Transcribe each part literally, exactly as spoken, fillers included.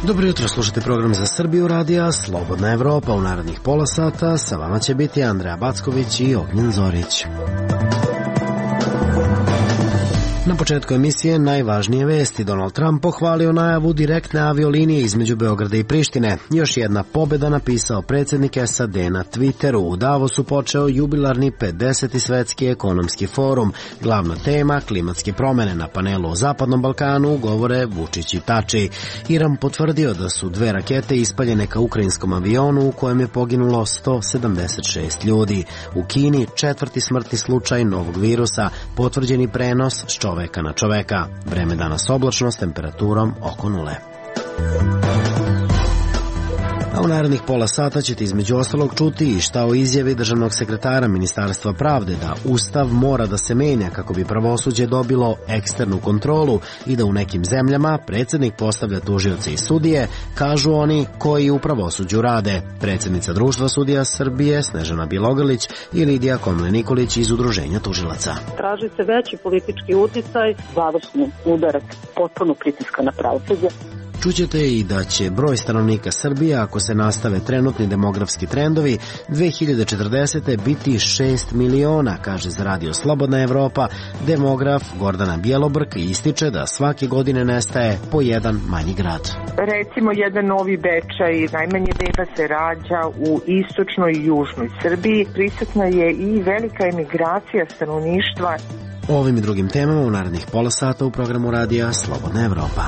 Dobro jutro, slušate program za Srbiju radija Slobodna Evropa. U narednih pola sata sa vama će biti Andreja Backović i Ognjen Zorić. Na početku emisije najvažnije vesti. Donald Trump pohvalio najavu direktne aviolinije između Beograda i Prištine. Još jedna pobjeda, napisao predsjednik S A D na Twitteru. U Davosu počeo jubilarni pedeseti svetski ekonomski forum. Glavna tema klimatske promjene. Na panelu o Zapadnom Balkanu govore Vučić i Tači. Iran potvrdio da su dve rakete ispaljene ka ukrajinskom avionu u kojem je poginulo sto sedamdeset šest ljudi. U Kini četvrti smrtni slučaj novog virusa, potvrđeni prenos s čoveka na čoveka. Vreme danas oblačno s temperaturom oko nule. A u narednih pola sata ćete između ostalog čuti i šta o izjavi državnog sekretara Ministarstva pravde da Ustav mora da se menja kako bi pravosuđe dobilo eksternu kontrolu i da u nekim zemljama predsjednik postavlja tužioce i sudije, kažu oni koji u pravosuđu rade. Predsjednica Društva sudija Srbije Snežana Bjelogrlić i Lidija Komlen-Nikolić iz Udruženja tužilaca. Traži se veći politički uticaj, završni udarak potpuno pritiska na pravosuđe. Čućete i da će broj stanovnika Srbije, ako se nastave trenutni demografski trendovi, dve hiljade četrdesete biti šest miliona, kaže za radio Slobodna Evropa demograf Gordana Bjelobrk i ističe da svake godine nestaje po jedan manji grad. Recimo jedan Novi Bečaj, najmanje beba se rađa u istočnoj i južnoj Srbiji. Prisutna je i velika emigracija stanovništva. O ovim i drugim temama u narednih pola sata u programu radija Slobodna Evropa.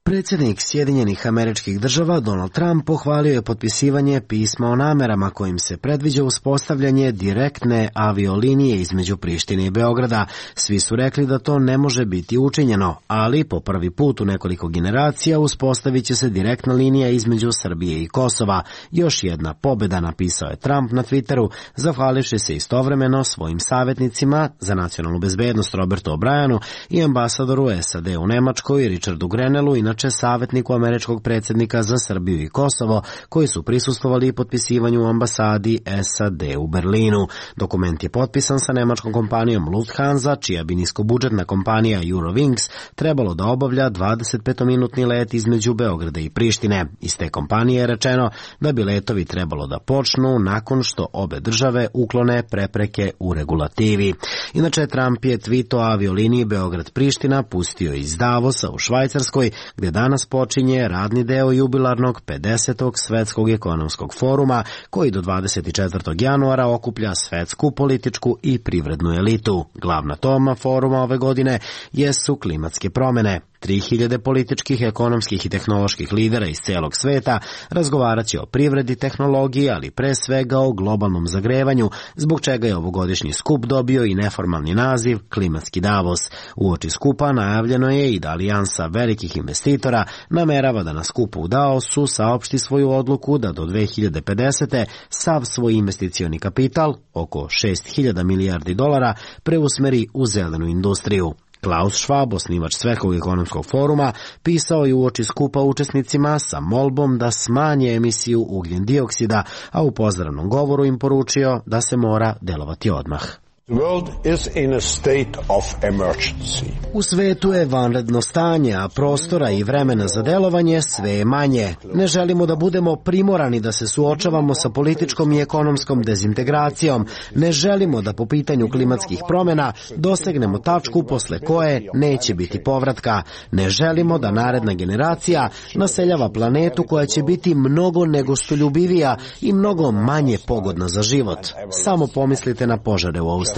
Predsjednik Sjedinjenih Američkih Država Donald Trump pohvalio je potpisivanje pisma o namerama kojim se predviđa uspostavljanje direktne aviolinije između Prištine i Beograda. Svi su rekli da to ne može biti učinjeno, ali po prvi put u nekoliko generacija uspostavit će se direktna linija između Srbije i Kosova. Još jedna pobjeda, napisao je Trump na Twitteru, zahvalivši se istovremeno svojim savjetnicima za nacionalnu bezbednost Robertu O'Brienu i ambasadoru S A D u Nemačkoj Richardu Grenellu, inače savjetniku američkog predsjednika za Srbiju i Kosovo, koji su prisustvovali potpisivanju u ambasadi S A D u Berlinu. Dokument je potpisan sa nemačkom kompanijom Lufthansa, čija bi niskobudžetna kompanija Eurowings trebalo da obavlja dvadesetpetominutni let između Beograda i Prištine. Iz te kompanije je rečeno da bi letovi trebalo da počnu nakon što obe države uklone prepreke u regulativi. Inače, Trump je tweet o avioliniji Beograd-Priština pustio iz Davosa u Švajcarskoj, gde danas počinje radni deo jubilarnog pedesetog svetskog ekonomskog foruma, koji do dvadeset četvrtog januara okuplja svetsku političku i privrednu elitu. Glavna tema foruma ove godine jesu klimatske promjene. tri hiljade političkih, ekonomskih i tehnoloških lidera iz celog sveta razgovarat će o privredi, tehnologiji, ali pre svega o globalnom zagrevanju, zbog čega je ovogodišnji skup dobio i neformalni naziv Klimatski Davos. Uoči skupa najavljeno je i da alijansa velikih investitora namerava da na skupu u Davosu saopšti svoju odluku da do dve hiljade pedesete sav svoj investicioni kapital, oko šest hiljada milijardi dolara, preusmeri u zelenu industriju. Klaus Schwab, osnivač Svetskog ekonomskog foruma, pisao je uoči skupa učesnicima sa molbom da smanje emisiju ugljen dioksida, a u pozdravnom govoru im poručio da se mora delovati odmah. The world is in a state of emergency. U svetu je vanredno stanje, a prostora i vremena za delovanje sve je manje. Ne želimo da budemo primorani da se suočavamo sa političkom i ekonomskom dezintegracijom. Ne želimo da po pitanju klimatskih promjena dosegnemo tačku posle koje neće biti povratka. Ne želimo da naredna generacija naseljava planetu koja će biti mnogo negostoljubivija i mnogo manje pogodna za život. Samo pomislite na požare u Australiji.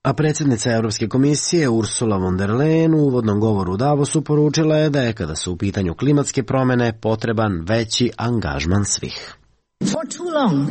A predsjednica Europske komisije Ursula von der Leyen u uvodnom govoru u Davosu poručila je da je, kada su u pitanju klimatske promjene, potreban veći angažman svih. For too long,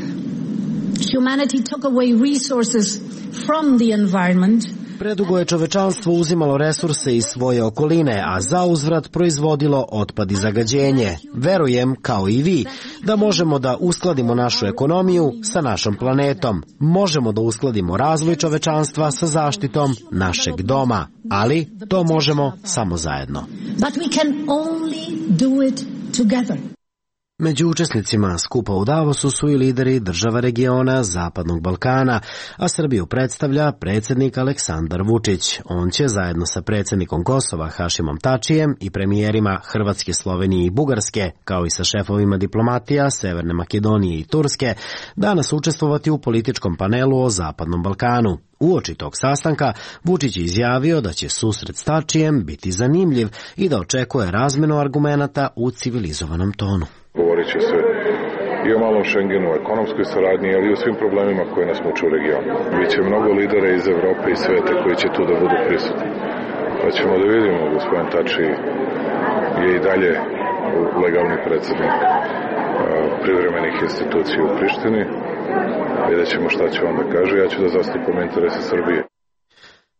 humanity took away resources from the environment Predugo je čovečanstvo uzimalo resurse iz svoje okoline, a zauzvrat proizvodilo otpad i zagađenje. Verujem, kao i vi, da možemo da uskladimo našu ekonomiju sa našom planetom. Možemo da uskladimo razvoj čovečanstva sa zaštitom našeg doma, ali to možemo samo zajedno. But we can only do it together. Među učesnicima skupa u Davosu su i lideri država regiona Zapadnog Balkana, a Srbiju predstavlja predsjednik Aleksandar Vučić. On će zajedno sa predsjednikom Kosova Hašimom Tačijem i premijerima Hrvatske, Slovenije i Bugarske, kao i sa šefovima diplomatija Severne Makedonije i Turske, danas učestvovati u političkom panelu o Zapadnom Balkanu. Uoči tog sastanka Vučić je izjavio da će susret s Tačijem biti zanimljiv i da očekuje razmenu argumenata u civilizovanom tonu. Govorit će se i o malom Schengenu, o ekonomskoj saradnji, ali i o svim problemima koje nas muče u regionu. Biće mnogo lidera iz Evrope i sveta koji će tu da budu prisutni. Pa ćemo da vidimo, gospodin Tači je i dalje legalni predsjednik privremenih institucija u Prištini. Vidjet ćemo šta će on da kaže, ja ću da zastupam interese Srbije.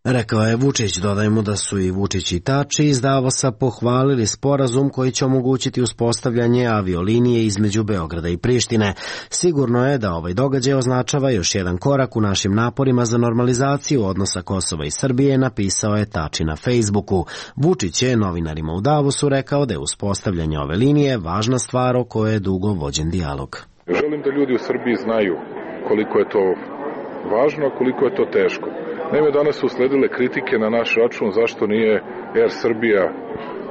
Rekao je Vučić. Dodajmo da su i Vučić i Tači iz Davosa pohvalili sporazum koji će omogućiti uspostavljanje aviolinije između Beograda i Prištine. Sigurno je da ovaj događaj označava još jedan korak u našim naporima za normalizaciju odnosa Kosova i Srbije, napisao je Tači na Facebooku. Vučić je novinarima u Davosu rekao da je uspostavljanje ove linije važna stvar o kojoj je dugo vođen dijalog. Želim da ljudi u Srbiji znaju koliko je to važno, a koliko je to teško. Naime, danas su sledile kritike na naš račun zašto nije Air Srbija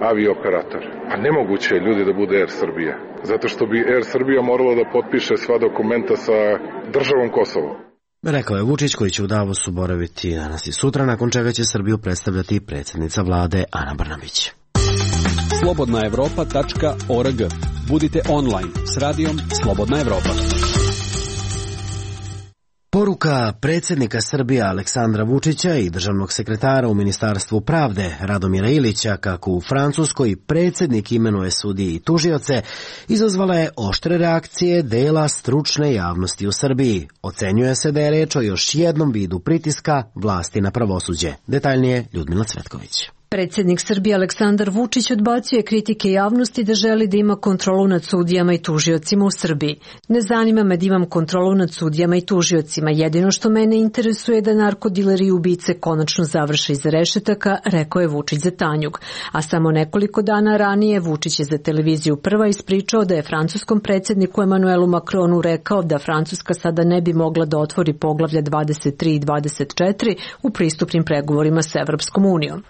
avio-operator. Pa nemoguće je, ljudi, da bude Air Srbija. Zato što bi Air Srbija morala da potpiše sva dokumenta sa državom Kosovo. Rekao je Vučić, koji će u Davosu boraviti danas i sutra, nakon čega će Srbiju predstavljati predsjednica vlade Ana Brnabić. slobodna evropa tačka org. Budite online s radijom Slobodna Evropa. Poruka predsjednika Srbije Aleksandra Vučića i državnog sekretara u Ministarstvu pravde Radomira Ilića, kako u Francuskoj predsjednik imenuje sudije i tužioce, izazvala je oštre reakcije dela stručne javnosti u Srbiji. Ocenjuje se da je reč o još jednom vidu pritiska vlasti na pravosuđe. Detaljnije Ljudmila Cvetković. Predsjednik Srbije Aleksandar Vučić odbacuje kritike javnosti da želi da ima kontrolu nad sudijama i tužiocima u Srbiji. Ne zanima me da imam kontrolu nad sudijama i tužiocima. Jedino što mene interesuje je da narkodileri i ubice konačno završe iza rešetaka, rekao je Vučić za Tanjug. A samo nekoliko dana ranije Vučić je za televiziju Prva ispričao da je francuskom predsjedniku Emanuelu Macronu rekao da Francuska sada ne bi mogla da otvori poglavlja dvadeset tri i dvadeset četiri u pristupnim pregovorima sa Evropskom unijom.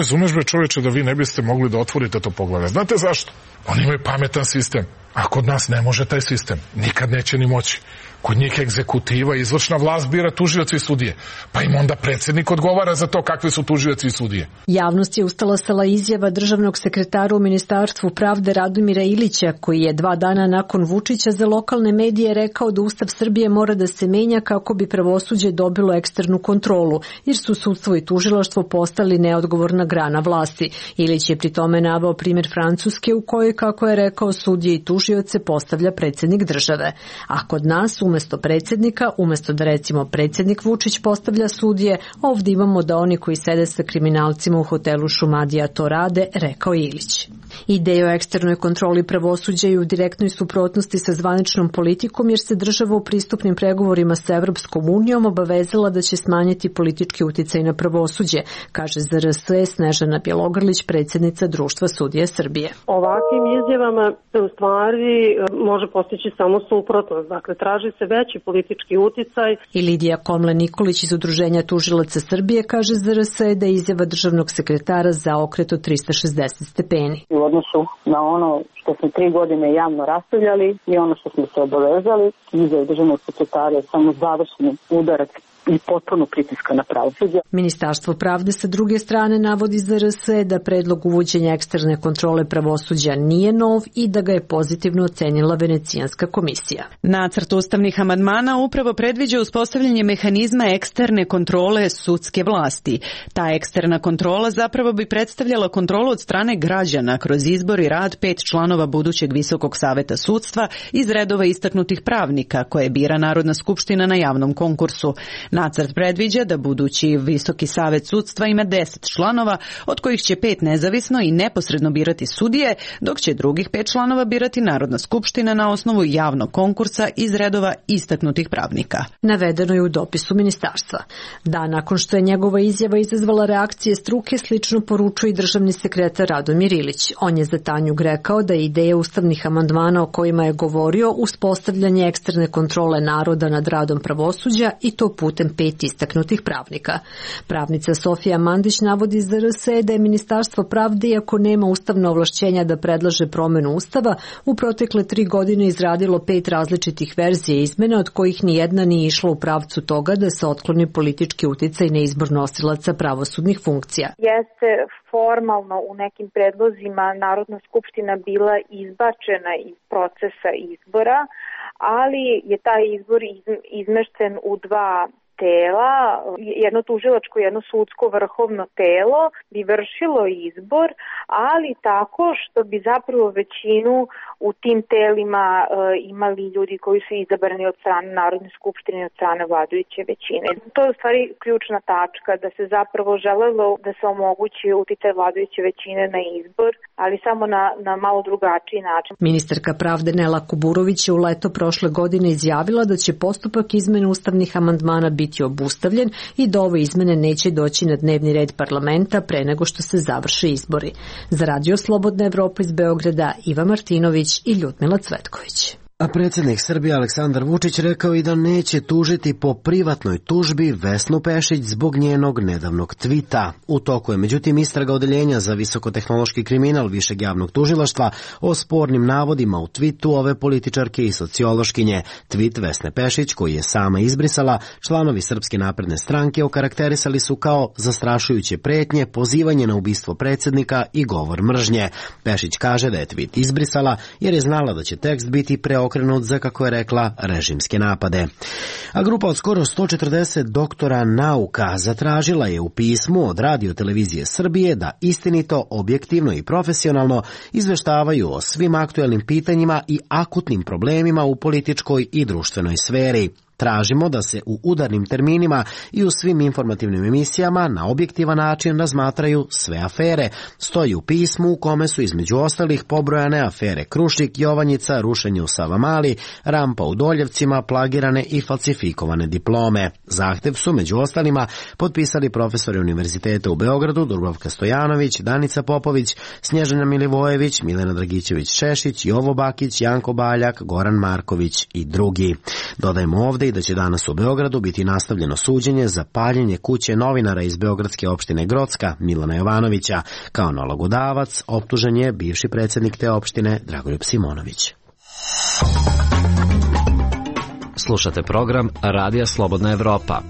Razumeš, bre, čoveče, da vi ne biste mogli da otvorite to poglavlje. Znate zašto? Oni imaju pametan sistem, a kod nas ne može taj sistem. Nikad neće ni moći. Kod njih egzekutiva, izvršna vlast bira tužioci i sudije. Pa im onda predsjednik odgovara za to kakvi su tužioci i sudije. Javnost je ustalasala izjava državnog sekretara u Ministarstvu pravde Radomira Ilića, koji je dva dana nakon Vučića za lokalne medije rekao da Ustav Srbije mora da se menja kako bi pravosuđe dobilo eksternu kontrolu, jer su sudstvo i tužilaštvo postali neodgovorna grana vlasti. Ilić je pri tome naveo primjer Francuske u kojoj, kako je rekao, sudije i tužioce postavlja predsjednik države. A kod nas, umesto predsjednika, umesto da recimo predsjednik Vučić postavlja sudije, ovdje imamo da oni koji sede sa kriminalcima u hotelu Šumadija to rade, rekao Ilić. Ideja o eksternoj kontroli pravosuđa je u direktnoj suprotnosti sa zvaničnom politikom, jer se država u pristupnim pregovorima sa Evropskom unijom obavezala da će smanjiti politički uticaj na pravosuđe, kaže Z R S Snežana Bjelogrlić, predsjednica Društva sudija Srbije. Ovakvim izjavama se u stvari može postići samo suprotnost, dakle traži se veći politički uticaj. I Lidija Komle-Nikolić iz Udruženja tužilaca Srbije kaže Z R S da je izjava državnog sekretara zaokret od trista šezdeset stepeni. U odnosu na ono što smo tri godine javno raspravljali i ono što smo se obavezali, izjava državnog sekretara je samo završni udarak i potpuno pritiska na pravosuđe. Ministarstvo pravde sa druge strane navodi Z R S da predlog uvođenja eksterne kontrole pravosuđa nije nov i da ga je pozitivno ocenila Venecijanska komisija. Nacrt ustavnih amandmana upravo predviđa uspostavljanje mehanizma eksterne kontrole sudske vlasti. Ta eksterna kontrola zapravo bi predstavljala kontrolu od strane građana kroz izbor i rad pet članova budućeg Visokog saveta sudstva iz redova istaknutih pravnika koje bira Narodna skupština na javnom konkursu. Nacrt predviđa da budući Visoki savet sudstva ima deset članova, od kojih će pet nezavisno i neposredno birati sudije, dok će drugih pet članova birati Narodna skupština na osnovu javnog konkursa iz redova istaknutih pravnika. Navedeno je u dopisu ministarstva. Dan nakon što je njegova izjava izazvala reakcije struke, slično poručuje i državni sekretar Radomir Ilić. On je za Tanjug rekao da je ideja ustavnih amandmana o kojima je govorio uspostavljanje eksterne kontrole naroda nad radom pravosuđa i to putem pet istaknutih pravnika. Pravnica Sofija Mandić navodi za R S E da je Ministarstvo pravde, iako nema ustavno ovlašćenja da predlaže promenu ustava, u protekle tri godine izradilo pet različitih verzija izmena, od kojih ni jedna nije išla u pravcu toga da se otkloni politički uticaj na izbor nosilaca pravosudnih funkcija. Jeste formalno u nekim predlozima Narodna skupština bila izbačena iz procesa izbora, ali je taj izbor izmešten u dva tela, jedno tužilačko, jedno sudsko vrhovno telo bi vršilo izbor, ali tako što bi zapravo većinu u tim telima e, imali ljudi koji su izabrani od strane Narodne skupštine i od strane vladajuće većine. To je u stvari ključna tačka, da se zapravo želelo da se omogući uticaj vladajuće većine na izbor, ali samo na, na malo drugačiji način. Ministarka pravde Nela Kuburović je u leto prošle godine izjavila da će postupak izmene ustavnih amandmana biti obustavljen i da ove izmene neće doći na dnevni red parlamenta pre nego što se završe izbori. Za Radio Slobodna Evropa iz Beograda, Iva Martinović i Ljudmila Cvetković. A predsjednik Srbije Aleksandar Vučić rekao i da neće tužiti po privatnoj tužbi Vesnu Pešić zbog njenog nedavnog tvita. U toku je međutim istraga odeljenja za visokotehnološki kriminal Višeg javnog tužilaštva o spornim navodima u tvitu ove političarke i sociološkinje. Tvit Vesne Pešić, koji je sama izbrisala, članovi Srpske napredne stranke okarakterisali su kao zastrašujuće pretnje, pozivanje na ubistvo predsjednika i govor mržnje. Pešić kaže da je tvit izbrisala jer je znala da će tekst biti preokrenut za, kako je rekla, režimske napade. A grupa od skoro sto četrdeset doktora nauka zatražila je u pismu od Radio televizije Srbije da istinito, objektivno i profesionalno izveštavaju o svim aktuelnim pitanjima i akutnim problemima u političkoj i društvenoj sferi. Tražimo da se u udarnim terminima i u svim informativnim emisijama na objektivan način razmatraju sve afere. Stoji u pismu u kome su između ostalih pobrojane afere Krušik, Jovanjica, rušenje u Savamali, rampa u Doljevcima, plagirane i falsifikovane diplome. Zahtev su među ostalima potpisali profesori Univerziteta u Beogradu Dubravka Stojanović, Danica Popović, Snježana Milivojević, Milena Dragićević-Šešić, Jovo Bakić, Janko Baljak, Goran Marković i drugi. Dodajemo ovde i da će danas u Beogradu biti nastavljeno suđenje za paljenje kuće novinara iz beogradske opštine Grocka Milana Jovanovića. Kao nalogodavac optužen je bivši predsjednik te opštine Dragoljub Simonović. Slušate program Radija Slobodna Evropa.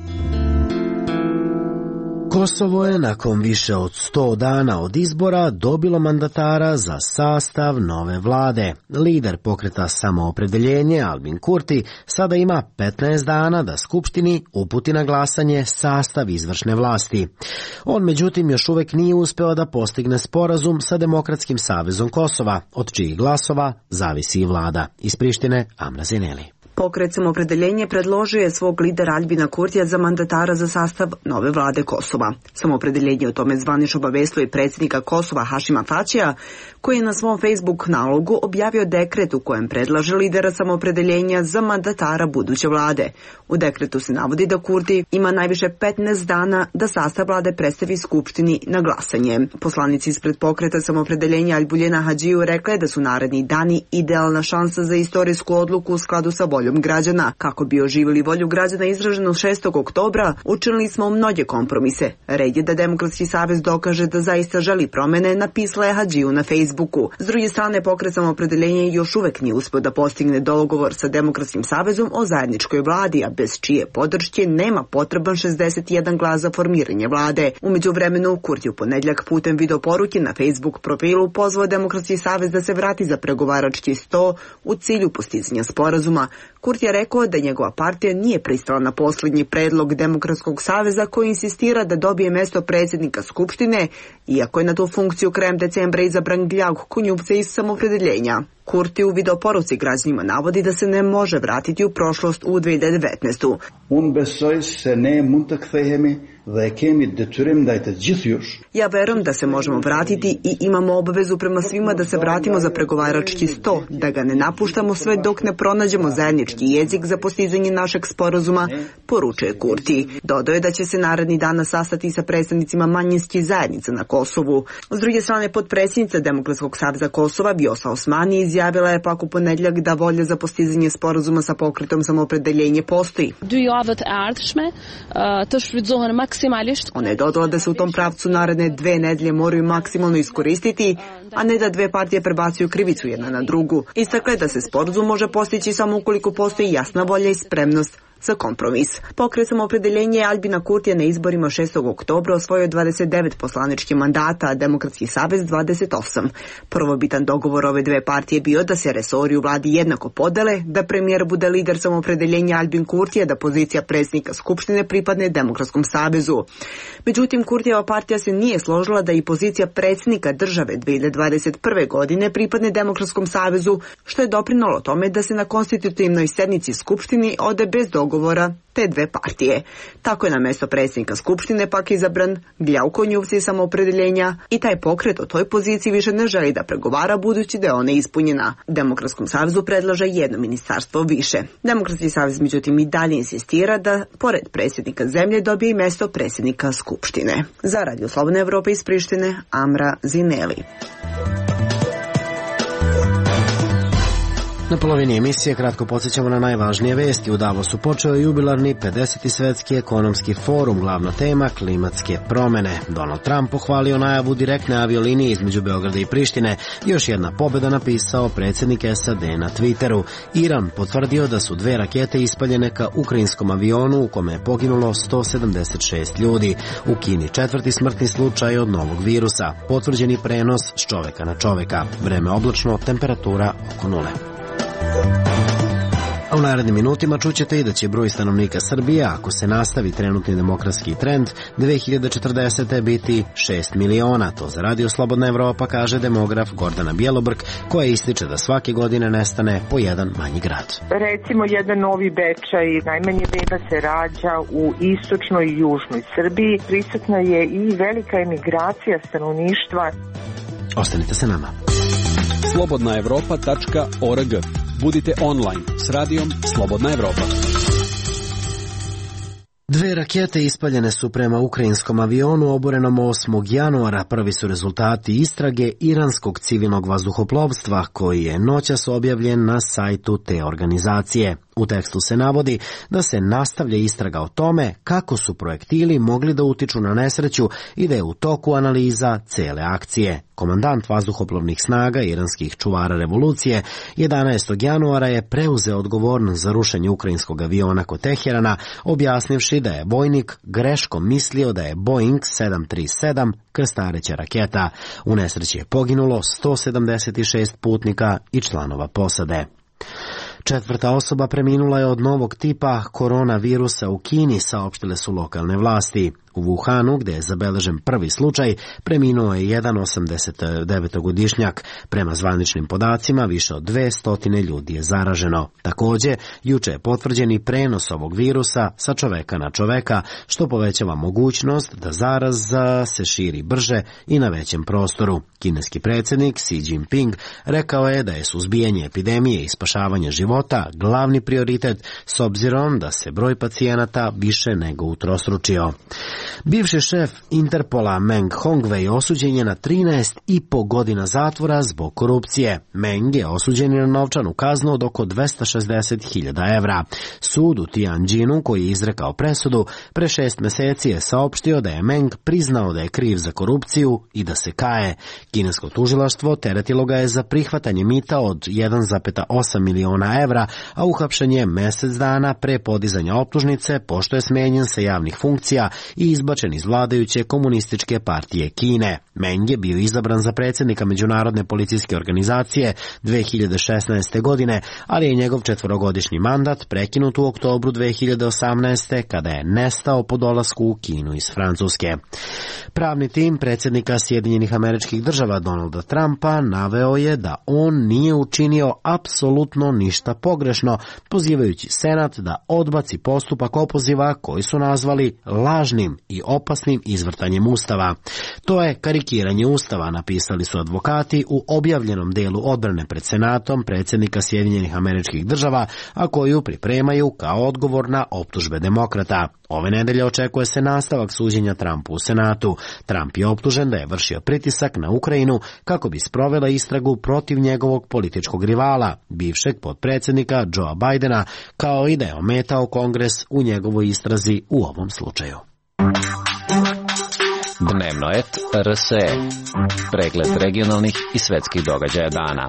Kosovo je nakon više od sto dana od izbora dobilo mandatara za sastav nove vlade. Lider pokreta Samoopredeljenje Albin Kurti sada ima petnaest dana da Skupštini uputi na glasanje sastav izvršne vlasti. On međutim još uvek nije uspeo da postigne sporazum sa Demokratskim savezom Kosova, od čijih glasova zavisi i vlada. Iz Prištine, Amra Zineli. Pokret Samoopredeljenje predložio je svog lidera Albina Kurtija za mandatara za sastav nove vlade Kosova. Samoopredeljenje o tome zvanično obavestilo i predsjednika Kosova Hašima Tačija, koji je na svom Facebook nalogu objavio dekret u kojem predlaže lidera Samoopredeljenja za mandatara buduće vlade. U dekretu se navodi da Kurti ima najviše petnaest dana da sastav vlade predstavi Skupštini na glasanje. Poslanici ispred pokreta Samoopredeljenja Albuljena Hadžiju rekla je da su naredni dani idealna šansa za istorijsku odluku u skladu sa voljom građana. Kako bi oživjeli volju građana izraženu šestog oktobra, učinili smo mnoge kompromise. Red je da Demokratski savez dokaže da zaista želi promene, napisala je Hadžiju na Facebooku. S druge strane, pokret Samoopredeljenje još uvek nije uspeo da postigne dogovor sa Demokratskim savezom o zajedničkoj vladi, a bez čije podrške nema potreban šezdeset jedan glas za formiranje vlade. U međuvremenu, Kurti u ponedjeljak putem videoporuke na Facebook profilu pozvao Demokratski savez da se vrati za pregovarački sto u cilju postizanja sporazuma. Kurti je rekao da njegova partija nije pristala na posljednji predlog Demokratskog saveza koji insistira da dobije mesto predsjednika Skupštine, iako je na tu funkciju krajem decembra izabran Gljag Kunjupce iz Samoopredeljenja. Kurti u videoporuci građanima navodi da se ne može vratiti u prošlost u dve hiljade devetnaeste. Ja verujem da se možemo vratiti i imamo obavezu prema svima da se vratimo za pregovarački sto, da ga ne napuštamo sve dok ne pronađemo zajednički jezik za postizanje našeg sporazuma, poručuje Kurti. Dodao je da će se naredni dana sastati sa predstavnicima manjinskih zajednica na Kosovu. S druge strane, potpredsjednica Demokratskog saveza Kosova Vjosa Osmani izjavila je pak u ponedjeljak da volja za postizanje sporazuma sa pokretom Samoopredeljenje postoji. Ona je dodala da se u tom pravcu naredne dve nedelje moraju maksimalno iskoristiti, a ne da dve partije prebacuju krivicu jedna na drugu. Istakla je da se sporazum može postići samo ukoliko postoji jasna volja i spremnost za kompromis. Pokret Samoopredeljenje Aljbina Kurtija na izborima šestog oktobra osvojio dvadeset devet poslaničkih mandata, a Demokratski savez dvadeset osam. Prvobitan dogovor ove dve partije bio da se resori u vladi jednako podele, da premijer bude lider Samoopredeljenja Aljbin Kurtija, da pozicija predsjednika Skupštine pripadne Demokratskom savezu. Međutim, Kurtijeva partija se nije složila da i pozicija predsjednika države dve hiljade dvadeset prve. godine pripadne Demokratskom savezu, što je doprinalo tome da se na konstitutivnoj sednici Skupštini ode bez dogovora govora te dve partije. Tako je na mesto predsjednika Skupštine pak izabran Gljauko Njuvci Samoopredeljenja i taj pokret o toj poziciji više ne želi da pregovara budući da je ona ispunjena. Demokratskom savezu predlaže jedno ministarstvo više. Demokratski savez međutim i dalje insistira da pored predsjednika zemlje dobije i mesto predsjednika Skupštine. Za Radio Slobodna Evropa iz Prištine, Amra Zineli. Na polovini emisije kratko podsjećamo na najvažnije vesti. U Davosu počeo je jubilarni pedeseti svetski ekonomski forum, glavna tema klimatske promene. Donald Trump pohvalio najavu direktne aviolinije između Beograda i Prištine. Još jedna pobjeda, napisao predsjednik S A D na Twitteru. Iran potvrdio da su dve rakete ispaljene ka ukrajinskom avionu u kome je poginulo sto sedamdeset šest ljudi. U Kini četvrti smrtni slučaj od novog virusa. Potvrđeni prenos s čoveka na čoveka. Vreme oblačno, temperatura oko nule. A u narednim minutima čućete i da će broj stanovnika Srbije, ako se nastavi trenutni demokratski trend, dve hiljade četrdesete. biti šest miliona. To za Radio Slobodna Evropa kaže demograf Gordana Bjelobrk, koja ističe da svake godine nestane po jedan manji grad. Recimo jedan Novi Bečaj, najmanje beba se rađa u istočnoj i južnoj Srbiji. Prisutna je i velika emigracija stanovništva. Ostanite sa nama. slobodna evropa tačka org. Budite online s radijom Slobodna Evropa. Dve rakete ispaljene su prema ukrajinskom avionu oborenom osmog januara. Prvi su rezultati istrage iranskog civilnog vazduhoplovstva, koji je noćas objavljen na sajtu te organizacije. U tekstu se navodi da se nastavlja istraga o tome kako su projektili mogli da utiču na nesreću i da je u toku analiza cele akcije. Komandant vazduhoplovnih snaga iranskih čuvara revolucije jedanaestog januara je preuzeo odgovornost za rušenje ukrajinskog aviona kod Teherana, objasnivši da je vojnik greškom mislio da je Boeing sedam tri sedam krstareća raketa. U nesreći je poginulo sto sedamdeset šest putnika i članova posade. Četvrta osoba preminula je od novog tipa koronavirusa u Kini, saopštile su lokalne vlasti. U Wuhanu, gde je zabeležen prvi slučaj, preminuo je jedan osamdesetdevetogodišnjak. Prema zvaničnim podacima, više od dvesta ljudi je zaraženo. Takođe, juče je potvrđen i prenos ovog virusa sa čoveka na čoveka, što povećava mogućnost da zaraza se širi brže i na većem prostoru. Kineski predsjednik Xi Jinping rekao je da je suzbijanje epidemije i spašavanje života glavni prioritet, s obzirom da se broj pacijenata više nego utrostručio. Bivši šef Interpola Meng Hongwei osuđen je na trinaest i po godina zatvora zbog korupcije. Meng je osuđen na novčanu kaznu od oko dvesta šezdeset hiljada evra. Sud u Tianjinu, koji je izrekao presudu, pre šest meseci je saopštio da je Meng priznao da je kriv za korupciju i da se kaje. Kinesko tužilaštvo teretilo ga je za prihvatanje mita od jedan zarez osam miliona evra, a uhapšen je mesec dana pre podizanja optužnice, pošto je smenjen sa javnih funkcija i i izbačen iz vladajuće komunističke partije Kine. Meng je bio izabran za predsjednika Međunarodne policijske organizacije dve hiljade šesnaeste. godine, ali je njegov četvorogodišnji mandat prekinut u oktobru dve hiljade osamnaeste. kada je nestao po dolasku u Kinu iz Francuske. Pravni tim predsjednika Sjedinjenih Američkih Država Donalda Trumpa naveo je da on nije učinio apsolutno ništa pogrešno, pozivajući Senat da odbaci postupak opoziva koji su nazvali lažnim i opasnim izvrtanjem Ustava. To je karikiranje Ustava, napisali su advokati u objavljenom delu odbrane pred Senatom predsjednika Sjedinjenih Američkih Država, a koju pripremaju kao odgovor na optužbe demokrata. Ove nedelje očekuje se nastavak suđenja Trumpu u Senatu. Trump je optužen da je vršio pritisak na Ukrajinu kako bi sprovela istragu protiv njegovog političkog rivala, bivšeg potpredsjednika Joea Bidena, kao i da je ometao Kongres u njegovoj istrazi u ovom slučaju. Dnevno et R S E. Pregled regionalnih i svetskih događaja dana.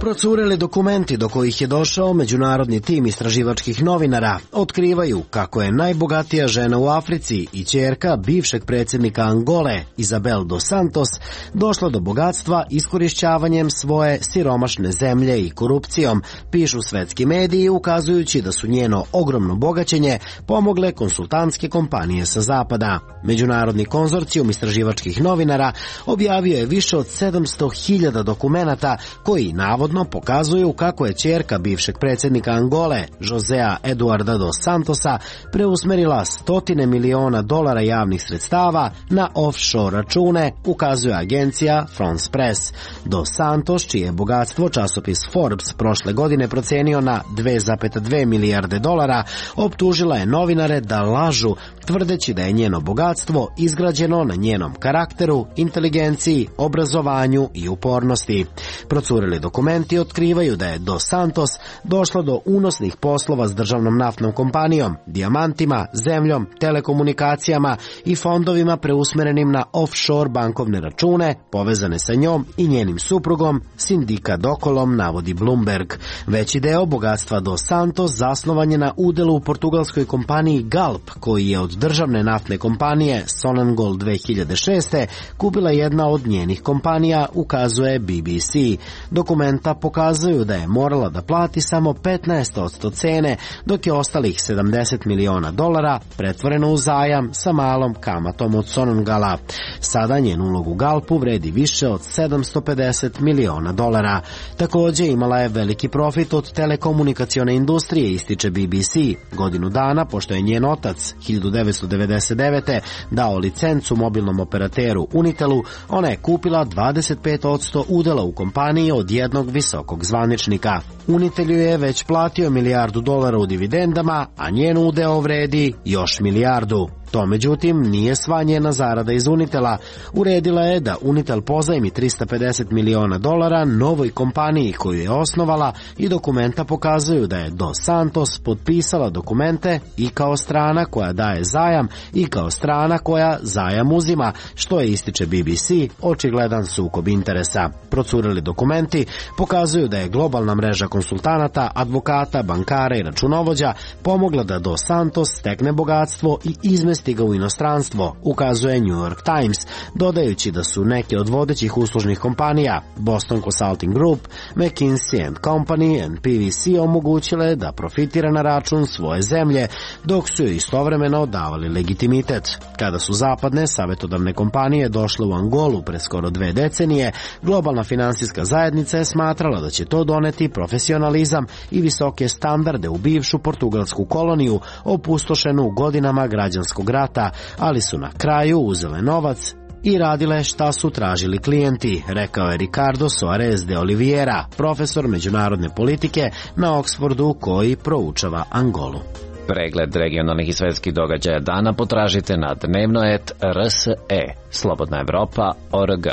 Procureli dokumenti do kojih je došao međunarodni tim istraživačkih novinara otkrivaju kako je najbogatija žena u Africi i ćerka bivšeg predsjednika Angole, Isabel dos Santos, došla do bogatstva iskorišćavanjem svoje siromašne zemlje i korupcijom, pišu svetski mediji, ukazujući da su njeno ogromno bogaćenje pomogle konsultantske kompanije sa zapada. Međunarodni konzorcijum istraživačkih novinara objavio je više od sedamsto hiljada dokumenata koji navodno pokazuju kako je ćerka bivšeg predsjednika Angole, Josea Eduarda dos Santosa, preusmerila stotine miliona dolara javnih sredstava na offshore račune, ukazuje agencija France Press. Dos Santos, čije je bogatstvo časopis Forbes prošle godine procenio na dve zarez dve milijarde dolara, optužila je novinare da lažu, tvrdeći da je njeno bogatstvo izgrađeno na njenom karakteru, inteligenciji, obrazovanju i upornosti. Procurili dokumenti otkrivaju da je Dos Santos došla do unosnih poslova s državnom naftnom kompanijom, dijamantima, zemljom, telekomunikacijama i fondovima preusmerenim na offshore bankovne račune povezane sa njom i njenim suprugom, Sindika Dokolom, navodi Bloomberg. Veći deo bogatstva Dos Santos zasnovan je na udelu u portugalskoj kompaniji Galp, koji je od državne naftne kompanije Sonangol dve hiljade šeste. kupila jedna od njenih kompanija, ukazuje B B C. Dokumenta pokazuju da je morala da plati samo petnaest posto cene, dok je ostalih sedamdeset miliona dolara pretvoreno u zajam sa malom kamatom od Sonangala. Sada njen ulog u Galpu vredi više od sedamsto pedeset miliona dolara. Također imala je veliki profit od telekomunikacione industrije, ističe B B C. Godinu dana, pošto je njen otac hiljadu devetsto devedeset devete. dao licencu mobilnom operateru Unitelu, ona je kupila dvadeset pet posto udela u kompaniji od jednog visokog zvaničnika. Unitelju je već platio milijardu dolara u dividendama, a njen udeo vredi još milijardu. To, međutim, nije sva njena zarada iz Unitela. Uredila je da Unitel pozajmi trista pedeset miliona dolara novoj kompaniji koju je osnovala i dokumenta pokazuju da je Dos Santos potpisala dokumente i kao strana koja daje zajam i kao strana koja zajam uzima, što je, ističe B B C, očigledan sukob interesa. Procureli dokumenti pokazuju da je globalna mreža konsultanata, advokata, bankara i računovođa pomogla da Dos Santos stekne bogatstvo i izmesti ga u inostranstvo, ukazuje New York Times, dodajući da su neke od vodećih uslužnih kompanija, Boston Consulting Group, McKinsey and Company and P V C omogućile da profitira na račun svoje zemlje, dok su joj istovremeno davali legitimitet. Kada su zapadne savjetodavne kompanije došle u Angolu pre skoro dve decenije, globalna finansijska zajednica je smatrala da će to doneti profesionalizam i visoke standarde u bivšu portugalsku koloniju, opustošenu godinama građanskog rata, ali su na kraju uzele novac i radile šta su tražili klijenti, rekao je Ricardo Soares de Oliveira, profesor međunarodne politike na Oxfordu koji proučava Angolu. Pregled regionalnih i svetskih događaja dana potražite na dnevno et R S E. Slobodna Evropa, O R G.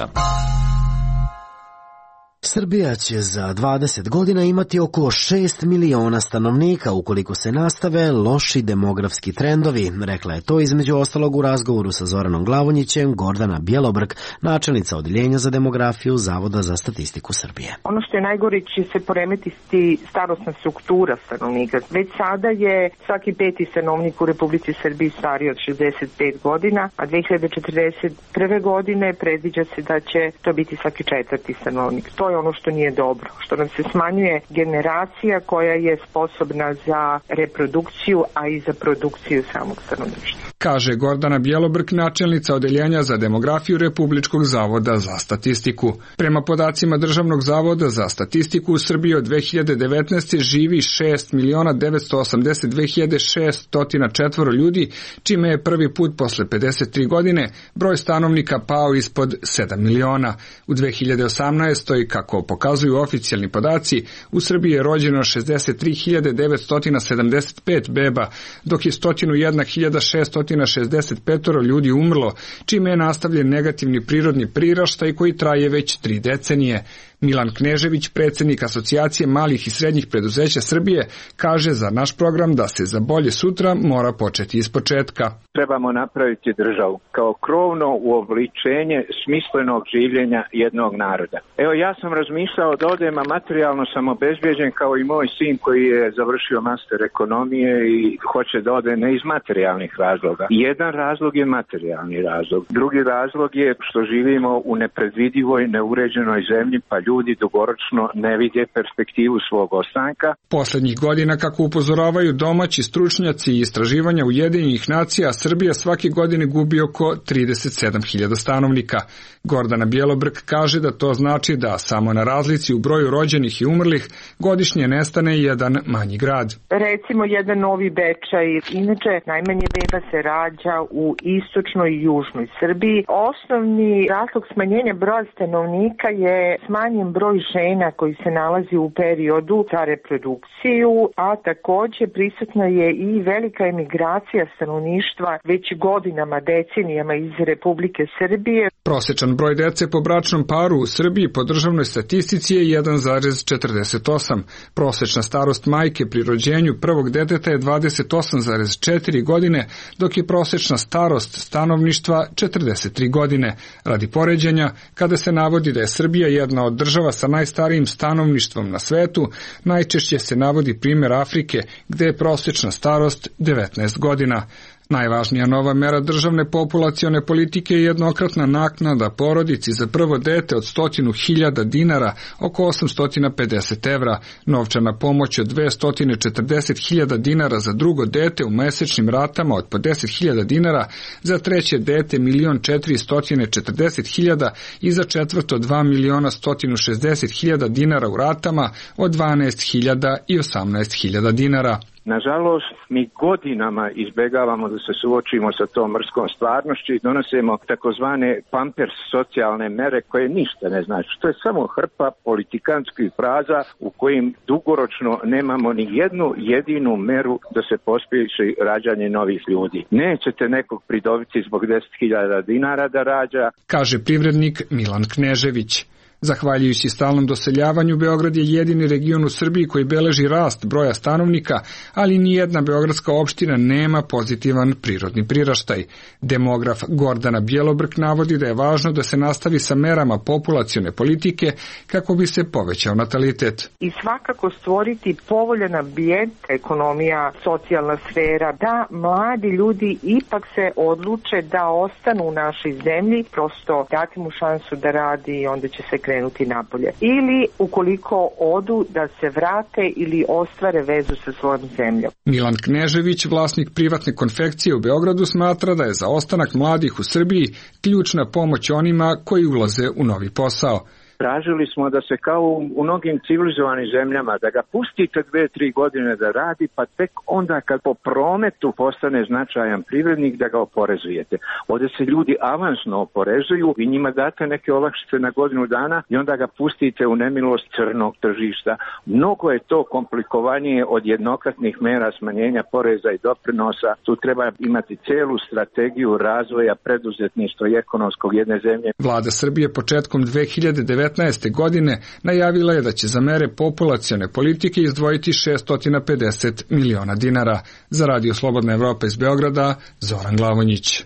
Srbija će za dvadeset godina imati oko šest miliona stanovnika ukoliko se nastave loši demografski trendovi, rekla je to između ostalog u razgovoru sa Zoranom Glavonjićem Gordana Bjelobrk, načelnica Odeljenja za demografiju Zavoda za statistiku Srbije. Ono što je najgore će se poremetiti starosna struktura stanovnika. Već sada je svaki peti stanovnik u Republici Srbiji stariji od šezdeset pet godina, a dve hiljade četrdeset prve godine predviđa se da će to biti svaki četvrti stanovnik. To je ono što nije dobro, što nam se smanjuje generacija koja je sposobna za reprodukciju, a i za produkciju samog stanovništva. Kaže Gordana Bjelobrk, načelnica Odeljenja za demografiju Republičkog zavoda za statistiku. Prema podacima Državnog zavoda za statistiku u Srbiji od dve hiljade devetnaeste. živi šest miliona devetsto osamdeset dve hiljade šeststo četvoro ljudi, čime je prvi put posle pedeset tri godine broj stanovnika pao ispod sedam miliona. U dve hiljade osamnaestoj. kako pokazuju oficijalni podaci, u Srbiji je rođeno šezdeset tri hiljade devetsto sedamdeset pet beba, dok je sto jedna hiljada šeststo šezdeset pet ljudi umrlo, čime je nastavljen negativni prirodni priraštaj koji traje već tri decenije. Milan Knežević, predsjednik Asocijacije malih i srednjih preduzeća Srbije, kaže za naš program da se za bolje sutra mora početi iz početka. Trebamo napraviti državu kao krovno uobličenje smislenog življenja jednog naroda. Evo, ja sam razmišljao da odem, a materijalno sam obezbijeđen kao i moj sin koji je završio master ekonomije i hoće da ode ne iz materijalnih razloga. Jedan razlog je materijalni razlog. Drugi razlog je što živimo u nepredvidivoj, neuređenoj zemlji, pa ljudi dugoročno ne vide perspektivu svog ostanka. Poslednjih godina, kako upozoravaju domaći stručnjaci i istraživanja Ujedinjenih nacija, Srbija svake godine gubi oko trideset sedam hiljada stanovnika. Gordana Bjelobrk kaže da to znači da samo na razlici u broju rođenih i umrlih godišnje nestane jedan manji grad. Recimo jedan Novi Bečaj, inače najmanje beba se rađa u istočnoj i južnoj Srbiji. Osnovni razlog smanjenja broja stanovnika je smanjen broj žena koji se nalazi u periodu za reprodukciju, a takođe prisutna je i velika emigracija stanovništva već godinama, decenijama iz Republike Srbije. Prosečan broj dece po bračnom paru u Srbiji po državnoj statistici je jedan zarez četrdeset osam. Prosečna starost majke pri rođenju prvog deteta je dvadeset osam zarez četiri godine, dok je prosečna starost stanovništva četrdeset tri godine. Radi poređenja, kada se navodi da je Srbija jedna od država sa najstarijim stanovništvom na svetu, najčešće se navodi primjer Afrike, gde je prosečna starost devetnaest godina. Najvažnija nova mera državne populacione politike je jednokratna naknada porodici za prvo dete od stotinu hiljada dinara, oko osamsto pedeset evra, novčana pomoć od dvesta četrdeset hiljada dinara za drugo dete u mesečnim ratama od po deset hiljada dinara, za treće dete milion četiristo četrdeset hiljada i za četvrto dva miliona sto šezdeset hiljada dinara u ratama od dvanaest hiljada i osamnaest hiljada dinara. Nažalost, mi godinama izbjegavamo da se suočimo sa tom mrskom stvarnošću i donosimo takozvane pampers socijalne mere koje ništa ne znači. To je samo hrpa politikanskih fraza u kojim dugoročno nemamo ni jednu jedinu meru da se pospješi rađanje novih ljudi. Nećete nekog pridobiti zbog deset hiljada dinara da rađa, kaže privrednik Milan Knežević. Zahvaljujući stalnom doseljavanju, Beograd je jedini region u Srbiji koji beleži rast broja stanovnika, ali nijedna beogradska opština nema pozitivan prirodni priraštaj. Demograf Gordana Bjelobrk navodi da je važno da se nastavi sa merama populacione politike kako bi se povećao natalitet. I svakako stvoriti povoljan ambijent, ekonomija, socijalna sfera, da mladi ljudi ipak se odluče da ostanu u našoj zemlji, prosto dati mu šansu da radi i onda će se krenuti napolje. Ili ukoliko odu da se vrate ili ostvare vezu sa svojom zemljom. Milan Knežević, vlasnik privatne konfekcije u Beogradu, smatra da je za ostanak mladih u Srbiji ključna pomoć onima koji ulaze u novi posao. Tražili smo da se kao u mnogim civilizovanim zemljama, da ga pustite dve, tri godine da radi, pa tek onda kad po prometu postane značajan privrednik da ga oporezujete. Ovdje se ljudi avansno oporezuju i njima date neke olakšice na godinu dana i onda ga pustite u nemilost crnog tržišta. Mnogo je to komplikovanije od jednokratnih mera smanjenja poreza i doprinosa. Tu treba imati celu strategiju razvoja preduzetništva i ekonomskog jedne zemlje. Vlada Srbije početkom dve hiljade devetnaeste devetnaeste. godine najavila je da će za mere populacione politike izdvojiti šesto pedeset miliona dinara. Za Radio Slobodna Evropa iz Beograda, Zoran Glavonjić.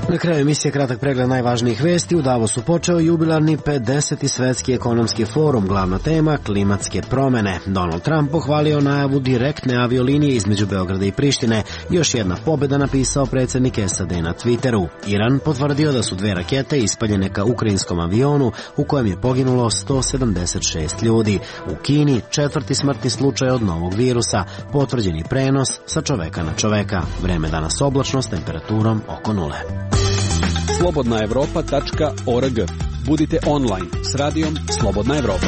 Na kraju emisije kratak pregled najvažnijih vesti. U Davosu počeo jubilarni pedeseti svetski ekonomski forum, glavna tema klimatske promene. Donald Trump pohvalio najavu direktne aviolinije između Beograda i Prištine. Još jedna pobjeda, napisao predsjednik S A D na Twitteru. Iran potvrdio da su dve rakete ispaljene ka ukrajinskom avionu u kojem je poginulo sto sedamdeset šest ljudi. U Kini četvrti smrtni slučaj od novog virusa, potvrđeni prenos sa čoveka na čoveka. Vreme danas oblačno s temperaturom oko nule. slobodna evropa tačka org. Budite online s radijom Slobodna Evropa.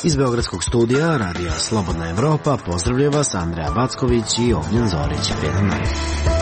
Iz beogradskog studija Radija Slobodna Evropa pozdravlja vas Andreja Backović i Ognjen Zorić. Prijedan dan.